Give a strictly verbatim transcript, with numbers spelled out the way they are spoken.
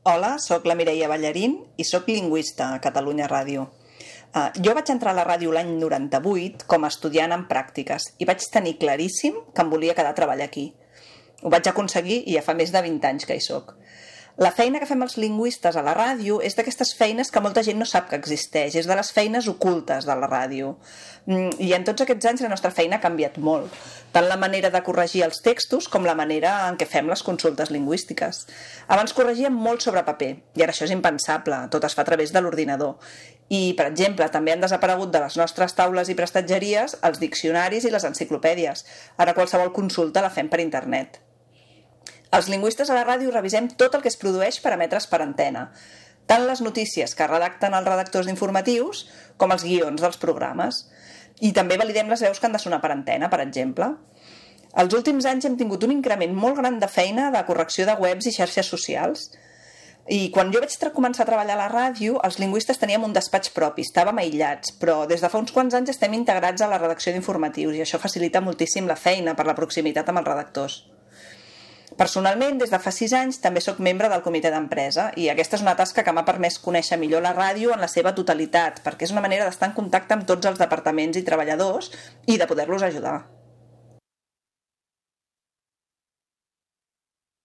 Hola, sóc la Mireia Ballarín i sóc lingüista a Catalunya Ràdio. Uh, jo vaig entrar a la ràdio l'any noranta-vuit com a estudiant en pràctiques i vaig tenir claríssim que em volia quedar a treballar aquí. Ho vaig aconseguir i ja fa més de vint anys que hi soc. La feina que fem els lingüistes a la ràdio és d'aquestes feines que molta gent no sap que existeix, és de les feines ocultes de la ràdio. I en tots aquests anys la nostra feina ha canviat molt, tant la manera de corregir els textos com la manera en què fem les consultes lingüístiques. Abans corregíem molt sobre paper, i ara això és impensable, tot es fa a través de l'ordinador. I, per exemple, també han desaparegut de les nostres taules i prestatgeries els diccionaris i les enciclopèdies. Ara qualsevol consulta la fem per internet. Els lingüistes a la ràdio revisem tot el que es produeix per emetre's per antena, tant les notícies que redacten els redactors d'informatius com els guions dels programes. I també validem les veus que han de sonar per antena, per exemple. Els últims anys hem tingut un increment molt gran de feina de correcció de webs i xarxes socials. I quan jo vaig començar a treballar a la ràdio, els lingüistes teníem un despatx propi, estàvem aïllats, però des de fa uns quants anys estem integrats a la redacció d'informatius i això facilita moltíssim la feina per la proximitat amb els redactors. Personalment, des de fa sis anys, també sóc membre del comitè d'empresa i aquesta és una tasca que m'ha permès conèixer millor la ràdio en la seva totalitat, perquè és una manera d'estar en contacte amb tots els departaments i treballadors i de poder-los ajudar.